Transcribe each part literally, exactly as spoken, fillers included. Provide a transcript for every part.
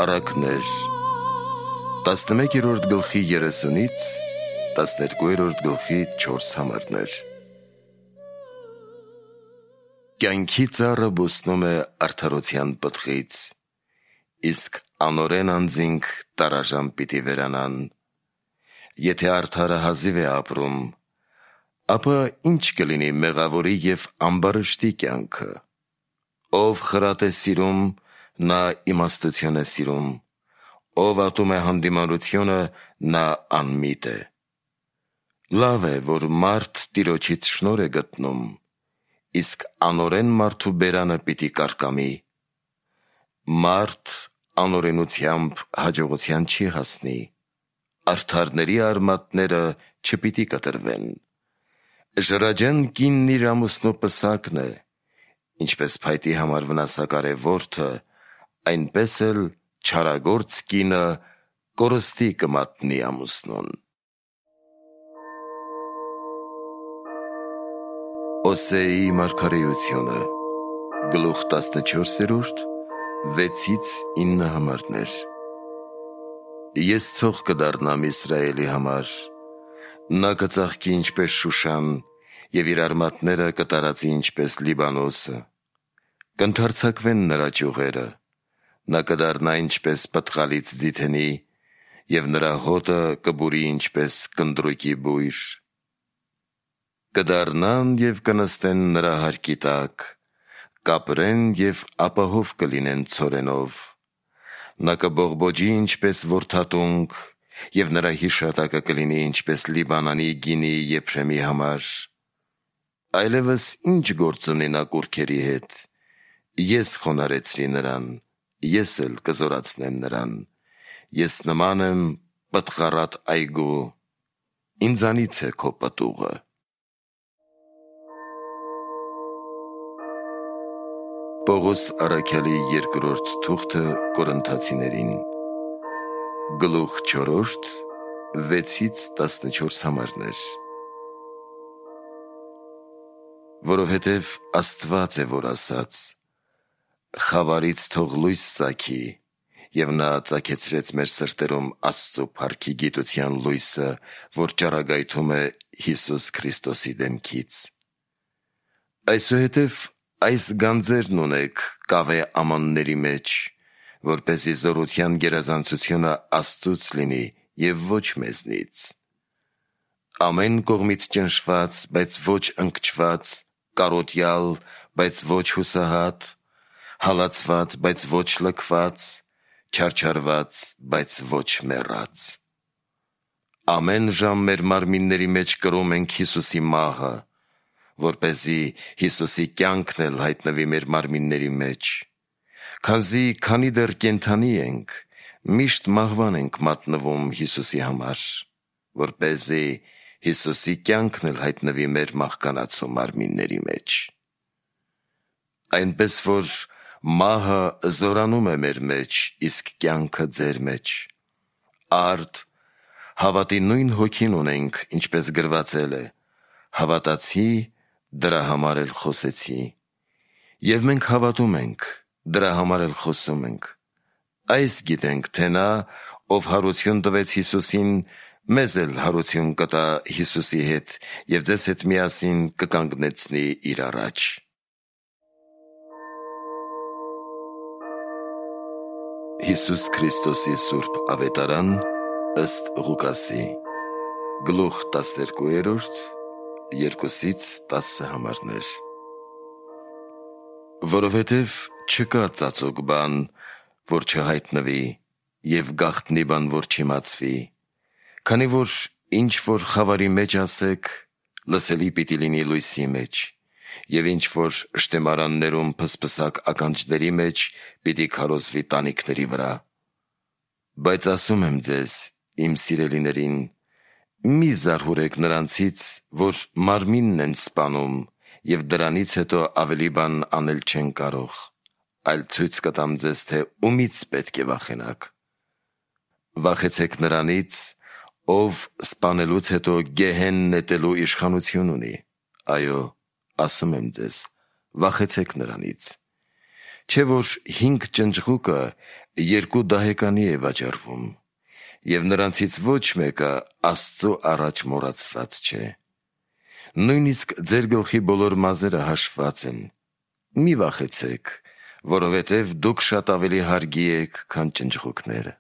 Առակներ տասնմեկերորդ գլխի երեսունից տասներկուերորդ գլխի չորս համարներ։ Կյանքի ծառը բուսնում է արդարության պտղից, իսկ անօրեն անձինք տարաժամ պիտի վերանան։ Եթե արդարը հազիվ է ապրում, ապա ինչ կլինի մեղավորի և ամբարշտի կյանքը։ Ով խրատ է սիրում, նա իմաստություն է սիրում, ով ատում է հանդիմանությունը, նա անմիտ է։ Լավ է, որ մարդ Տիրոջից շնորհ է գտնում, իսկ անօրեն մարդու բերանը պիտի կարկամի։ Մարդ անօրենությամբ հաջողության չի հասնի, արդարների արմատները չպիտի կտրվեն։ Ժրաջեն կինն իր ամուսնու պսակն է, ինչպես փայտի համար վնասակար է որդը, այնպես էլ չարագործ կինը կորստի կմատնի ամուսնուն։ Օսեայի մարգարեությունը գլուխ տասնչորսերորդ վեցից ինը համարներ։ Ես ցող կդառնամ Իսրայելի համար, նա կծաղկի ինչպես Շուշան և իր արմատները կտարածի ինչպես Լիբանոսը, կընդարձակվեն նրա ճյուղերը, նա կդառնա ինչպես պտղալից ձիթենի և նրա հոտը կբուրի ինչպես կնդրուկի բույր։ Կդառնան և կնստեն նրա հարկի տակ, կապրեն և ապահով կլինեն ցորենով։ Նա կբողբոջի ինչպես որդատունգ և նրա հիշատակը կլինի ինչպես Լիբանանի գինի Եփրեմի համար։ Այլևս ինչ գործ ունի նա կուռքերի հետ, ես խոնարհեցրի նրան, ես էլ կզորացնեմ նրան, ես նման եմ պտղառատ այգու, ինձանից է քո պտուղը։ Պողոս առաքյալի երկրորդ թուղթը Կորինթացիներին գլուխ չորրորդ վեցից տասնչորս համարներ։ Որովհետև Աստված է, որ ասաց. «Խավարից թող լույս ծագի», և նա ծագեցրեց մեր սրտերում Աստծու փառքի գիտության լույսը, որ ճառագայթում է Հիսուս Քրիստոսի դեմքից։ Այսուհետև այս գանձերն ունեք կավե ամանների մեջ, որպեսզի զորության գերազանցությունը Աստծուց լինի և ոչ մեզնից։ Ամեն կողմից ճնշված, բայց ոչ ընկճված, կարոտյալ, բայց ոչ հուսահատ, հալածված, բայց ոչ լքված, չարչարված, բայց ոչ մեռած։ Ամեն ժամ մեր մարմինների մեջ կրում ենք Հիսուսի մահը, որպեսզի Հիսուսի կյանքն էլ հայտնվի մեր մարմինների մեջ։ Քանզի քանի դեռ կենդանի ենք, միշտ մահվան ենք մատնվում Հիսուսի համար, որպեսզի Հիսուսի կյանքն էլ հայտնվի մեր մահկանացու մարմինների մեջ։ Այնպես որ մահը զորանում է մեր մեջ, իսկ կյանքը ձեր մեջ։ Արդ հավատի նույն հոգին ունենք, ինչպես գրվածել է. հավատացի, դրա համար էլ խոսեցի։ Եվ մենք հավատում ենք, դրա համար էլ խոսում ենք։ Այս գիտենք, թե նա, ով հարություն տվեց Հիսուսին, մեզ էլ հարություն կտա Հիսուսի հետ և ձեզ հետ միասին կկանգնեցնի իր առաջ։ Հիսուս Քրիստոսի սուրբ ավետարան ըստ Ղուկասի գլուխ տասներկուերորդ երկուսից տասը համարներ։ Որովհետև չկա ծածուկ բան, որ չհայտնվի, և գաղտնի բան, որ չիմացվի, քանի որ ինչ որ խավարի մեջ ասեք, լսելի պիտի լինի լույսի մեջ, և ինչ որ շտեմարաններում փսփսակ ականջների մեջ պիտի քարոզվի տանիքների վրա։ Բայց ասում եմ ձեզ, իմ սիրելիներին, մի զարհուրեք նրանցից, որ մարմինն են սպանում, և դրանից հետո ավելի բան անել չեն կարող, այլ ցույց կտամ ձեզ, թե ումից պետք է վախենաք։ Վախեցեք նրանից, ով սպանելուց հետո գեհեն նետելու իշխանություն ունի։ Այո, ասում եմ ձեզ, վախեցեք նրանից։ Չէ որ հինգ ճնճղուկը երկու դահեկանի է վաճառվում, և նրանցից ոչ մեկը Աստծո առաջ մոռացված չէ։ Նույնիսկ ձեր գլխի բոլոր մազերը հաշված են։ Մի վախեցեք, որովհետև դուք շատ ավելի հարգի եք, քան ճնճղուկները։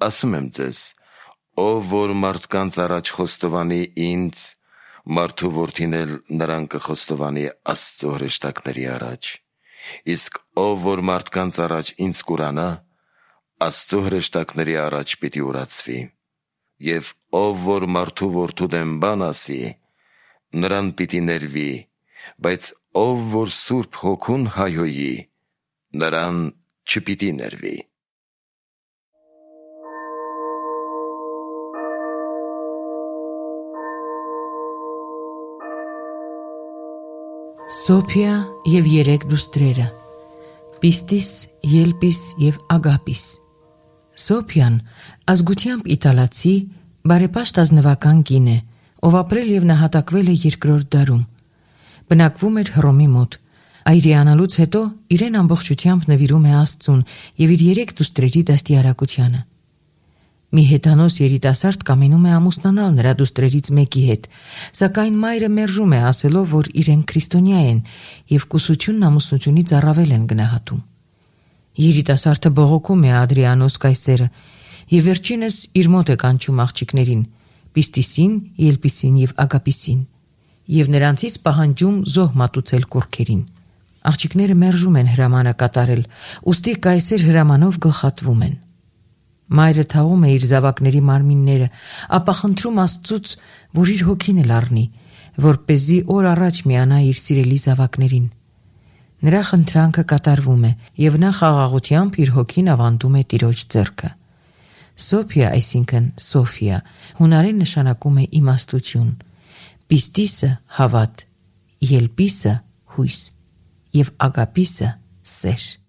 Ասում եմ ձեզ, ով որ մարդկանց առաջ խոստովանի ինձ, մարդու որդին էլ նրան կխոստովանի Աստծո հրեշտակների առաջ, իսկ ով որ մարդկանց առաջ ինձ կուրանա, Աստծո հրեշտակների առաջ պիտի ուրացվի, և ով որ մարդու որդու դեմ բան ասի, նրան պիտի ներվի, բայց ով որ Սուրբ Հոգուն հայհոյի, նրան չպիտի ներվի։ Սոփիա և երեք դուստրերը՝ Պիստիս, Ելպիս և Ագապիս։ Սոփիան ազգությամբ իտալացի, բարեպաշտ ազնվական կին է, ով ապրել և նահատակվել է երկրորդ դարում։ Բնակվում էր Հռոմի մոտ։ Այրիանալուց հետո իրեն ամբողջությամբ նվիրում է Աստծուն և իր երեք դուստրերի դաստիարակությանը։ Մի հեթանոս երիտասարդ կամենում է ամուսնանալ նրա դուստրերից մեկի հետ, սակայն մայրը մերժում է, ասելով, որ իրենք քրիստոնյա են և կուսությունն ամուսնությունից առավել են գնահատում։ Երիտասարդը բողոքում է Ադրիանոս կայսերը և վերջինս իր մոտ է կանչում աղջիկներին՝ Պիստիսին, Ելպիսին և Ագապիսին, և նրանցից պահանջում զոհ մատուցել կուռքերին։ Աղջիկները մերժում են հրամանը կատարել, ուստի կայսեր հրամանով գլխատվում են։ Մայրը թաղում է իր զավակների մարմինները, ապա խնդրում Աստծուց, որ իր հոգին էլ առնի, որպեսզի օր առաջ միանա իր սիրելի զավակներին։ Նրա խնդրանքը կատարվում է, և նա խաղաղությամբ իր հոգին ավանդում է Տիրոջ ձեռքը։ Սոփիա, այսինքն Սոֆիա, հունարեն նշանակում է իմաստություն, Պիստիսը հավատ, Ելպիսը հույս և Ագապիսը սեր։